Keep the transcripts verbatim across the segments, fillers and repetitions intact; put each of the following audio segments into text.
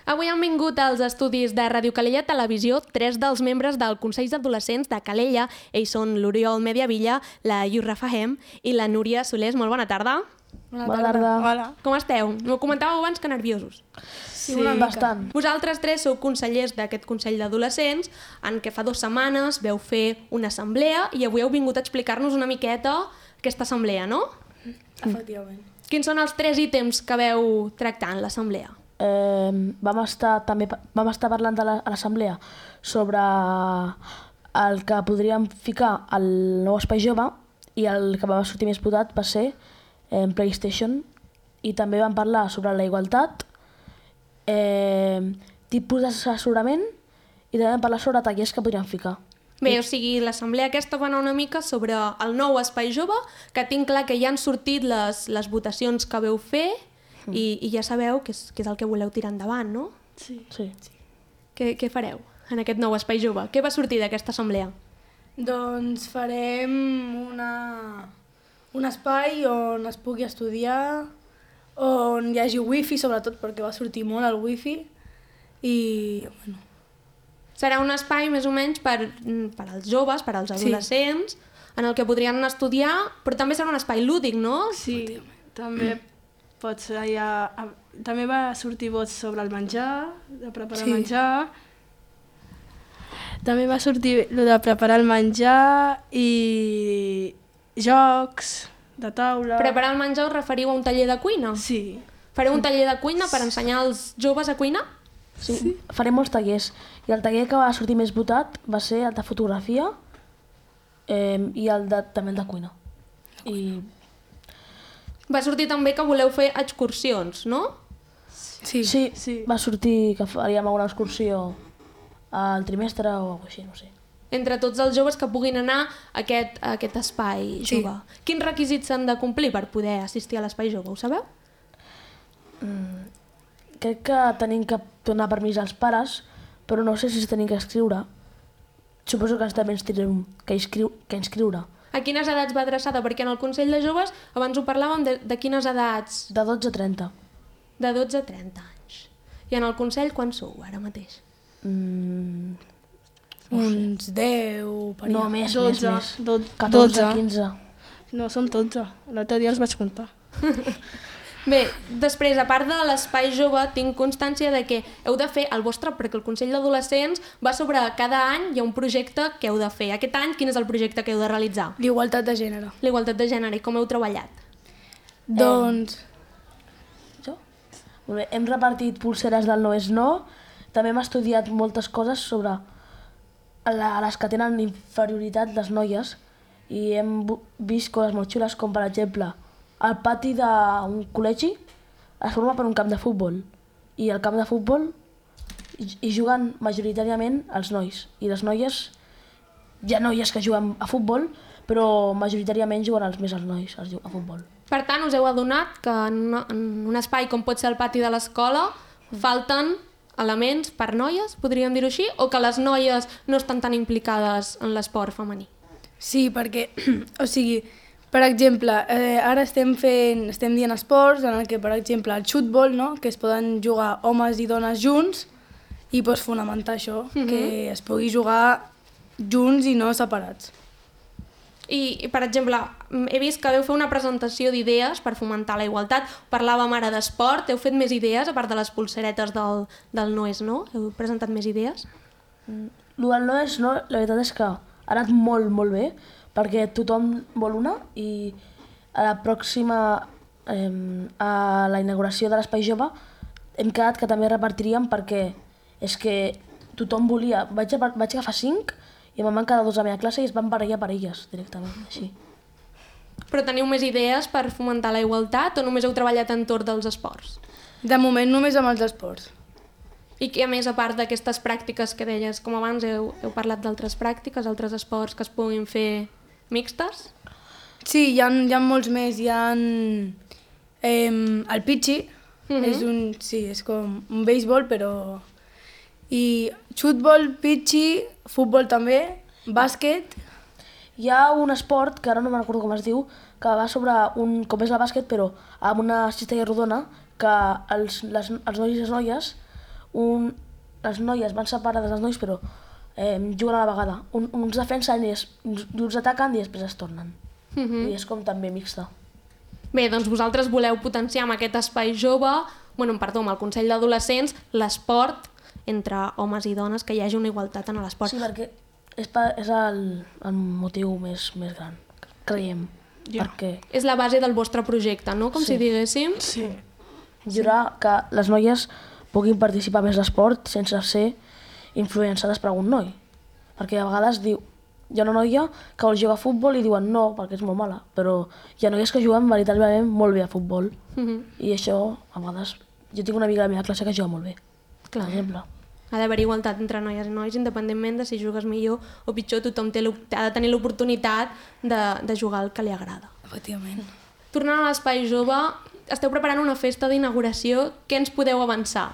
Avui han vingut als estudis de Ràdio Calella Televisió tres dels membres del Consell d'Adolescents de Calella. Ells són l'Oriol Mediavilla, la Yurra Fahem i la Núria Solés. Molt bona tarda. Bona tarda. Bona tarda. Hola. Com esteu? M'ho comentàveu abans que nerviosos. Sí, sí, bastant. Vosaltres tres sou consellers d'aquest Consell d'Adolescents, en què fa dues setmanes veu fer una assemblea i avui heu vingut a explicar-nos una miqueta aquesta assemblea, no? Efectivament. Quins són els tres ítems que veu tractar en l'assemblea? Eh, vam estar també vam estar parlant de la, a l'assemblea sobre el que podríem ficar al nou espai jove i el que va sortir més votat va ser eh, PlayStation, i també vam parlar sobre la igualtat, eh, tipus d'assessorament, i també vam parlar sobre tallers que podríem ficar. Bé, o sigui, l'assemblea aquesta va anar una mica sobre el nou espai jove, que tinc clar que ja han sortit les, les votacions que veu fer i, i ja sabeu que és, que és el que voleu tirar endavant, no? Sí. Sí. Què, què fareu en aquest nou espai jove? Què va sortir d'aquesta assemblea? Doncs farem una, un espai on es pugui estudiar, on hi hagi wifi, sobretot perquè va sortir molt el wifi, i bueno... Serà un espai més o menys per, per als joves, per als adolescents, sí, en el que podrien anar a estudiar, però també serà un espai lúdic, no? Sí, també pot ser ja... També va sortir vots sobre el menjar, de preparar Sí. el menjar. També va sortir lo de preparar el menjar i jocs de taula. Preparar el menjar us referiu a un taller de cuina? Sí. Fareu un taller de cuina per ensenyar als joves a cuinar? Sí, sí. Farem molts tallers. I el taller que va sortir més votat va ser el de fotografia eh, i el de, també el de cuina. I Va sortir també que voleu fer excursions, no? Sí. sí, Sí. va sortir que faríem alguna excursió al trimestre o alguna cosa així, no sé. Entre tots els joves que puguin anar a aquest, a aquest espai Sí. jove. Quins requisits s'han de complir per poder assistir a l'espai jove, ho sabeu? Mm, crec que tenim que donar permís als pares, però no sé si es tenim que escriure. Suposo que ens també ens tindrem que, inscriu que inscriure. A quines edats va adreçada? Perquè en el Consell de Joves abans ho parlàvem de, de quines edats? De dotze a trenta. De dotze a trenta anys. I en el Consell quan sou ara mateix? Mm, Uns deu... Per no, allà. més, dotze, més, més. dotze. catorze, quinze. No, són dotze. L'altre dia els vaig comptar. Bé, després, a part de l'espai jove, tinc constància de que heu de fer el vostre, perquè el Consell d'Adolescents va sobre cada any hi ha un projecte que heu de fer. Aquest any, quin és el projecte que heu de realitzar? L'igualtat de gènere. La igualtat de gènere. I com heu treballat? Doncs... Jo? Molt bé, hem repartit pulseres del no és no, també hem estudiat moltes coses sobre la, les que tenen inferioritat, les noies, i hem bu- vist coses molt xules, com per exemple, el pati d'un col·legi es forma per un camp de futbol, i al camp de futbol hi, hi juguen majoritàriament els nois, i les noies, hi ha noies que juguen a futbol, però majoritàriament juguen els més els nois els, a futbol. Per tant, us heu adonat que en, una, en un espai com pot ser el pati de l'escola falten elements per noies, podríem dir-ho així, o que les noies no estan tan implicades en l'esport femení? Sí, perquè, o sigui, per exemple, eh, ara estem fent, estem dient esports en el que, per exemple, el xutbol, no?, que es poden jugar homes i dones junts, i pues, fonamentar això, Mhm. que es pugui jugar junts i no separats. I, per exemple, he vist que veu fer una presentació d'idees per fomentar la igualtat. Parlàvem ara d'esport, heu fet més idees, a part de les pulseretes del, del no és no? Heu presentat més idees? El del no és no, la veritat és que ha anat molt, molt bé, perquè tothom vol una, i a la pròxima, eh, a la inauguració de l'Espai Jove, hem quedat que també repartiríem, perquè és que tothom volia. Vaig, a, vaig agafar cinc i me'n van quedar dos a la meva classe i es van barallar per elles, directament, així. Però teniu més idees per fomentar la igualtat o només heu treballat entorn dels esports? De moment només amb els esports. I que a més, a part d'aquestes pràctiques que deies, com abans heu, heu parlat d'altres pràctiques, altres esports que es puguin fer mixtes? Sí, hi ha, hi ha molts més, hi ha eh, el pitxi, Mhm. és un, sí, és com un béisbol, però... I xutbol, pitxi, futbol també, bàsquet... Hi ha un esport, que ara no me'n recordo com es diu, que va sobre un, com és el bàsquet, però amb una cistella rodona, que els, les, els nois i les noies un, les noies van separades dels nois, però eh, juguen a la vegada. Un, uns defensen i, es, i uns ataquen i després es tornen. Uh -huh. I és com també mixta. Bé, doncs vosaltres voleu potenciar amb aquest espai jove, bueno, perdó, amb el Consell d'Adolescents, l'esport entre homes i dones, que hi hagi una igualtat en l'esport. Sí, perquè és, pa, és el, el motiu més, més gran, creiem. Ja. Perquè És la base del vostre projecte, no? Com Sí. si diguéssim. Sí. millorar que les noies puguin participar més d'esport sense ser influenciades per algun noi. Perquè a vegades diu, hi ha una noia que vol jugar a futbol i diuen no, perquè és molt mala, però hi ha noies que juguen veritablement molt bé a futbol. Uh -huh. I això, a vegades, jo tinc una amiga de la meva classe que juga molt bé, Clar. per exemple. Ha d'haver igualtat entre noies i nois, independentment de si jugues millor o pitjor, tothom té ha de tenir l'oportunitat de, de jugar el que li agrada. Efectivament. Tornant a l'Espai Jove, esteu preparant una festa d'inauguració, què ens podeu avançar?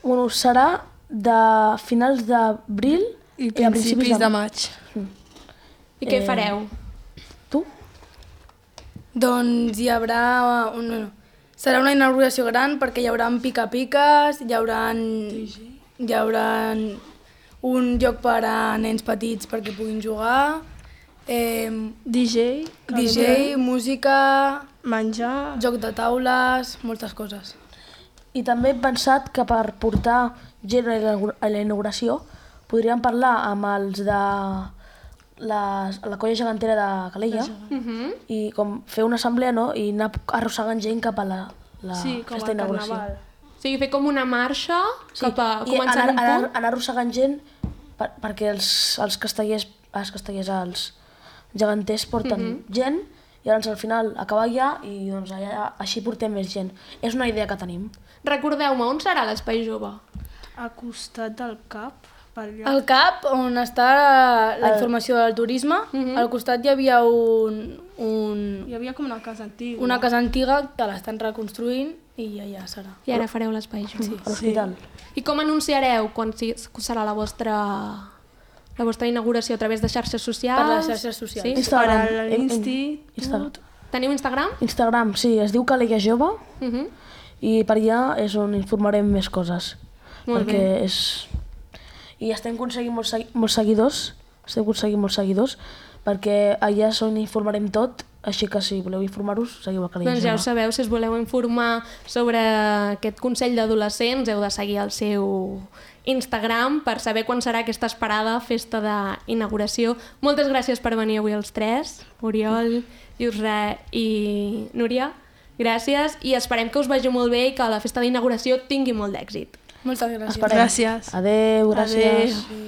Bueno, serà de finals d'abril I a principis de maig. I què Eh, fareu? Tu? Doncs hi haurà... Un, bueno, serà una inauguració gran perquè hi haurà pica-piques, hi haurà, hi haurà un lloc per a nens petits perquè puguin jugar, eh, D J, D J, música, menjar... joc de taules, moltes coses. I també he pensat que per portar gent a la inaugura- a la inauguració podríem parlar amb els de la, la colla gegantera de Calella Uh -huh. i com fer una assemblea, no? I anar arrossegant gent cap a la, la Sí, com festa el d'inauguració. carnaval. O sigui, fer com una marxa Sí, cap a i començar anar, un anar, punt. anar arrossegant gent per, perquè els, els castellers, els castellers, els geganters porten Mhm. gent i llavors al final acabar allà i doncs allà, així portem més gent. És una idea que tenim. Recordeu-me, on serà l'Espai Jove? Al costat del cap, per allà. Al CAP, on està la El- informació del turisme, Mhm. al costat hi havia un, un, Hi havia com una casa antiga. una casa antiga que l'estan reconstruint i allà serà. I ara fareu l'Espai Jove. Sí. A l'hospital. I com anunciareu quan si- serà la vostra, la vostra inauguració? A través de xarxes socials? Per les xarxes socials. Sí? Instagram. Per a Em- em- l'Insti, Instagram. tot. Teniu Instagram? Instagram, sí, es diu Calella Jove Uh -huh. i per allà és on informarem més coses. Molt perquè bé. és... I estem aconseguint molts, segui- molts seguidors, estem aconseguint molts seguidors, perquè allà és on informarem tot, així que si voleu informar-vos, seguiu a Calella Doncs ja ho Jove. sabeu, si us voleu informar sobre aquest Consell d'Adolescents heu de seguir el seu Instagram per saber quan serà aquesta esperada festa d'inauguració. Moltes gràcies per venir avui els tres, Oriol, Yusra i Núria. Gràcies i esperem que us vagi molt bé i que la festa d'inauguració tingui molt d'èxit. Moltes gràcies. Esperem. Gràcies. Adéu, gràcies. Adéu.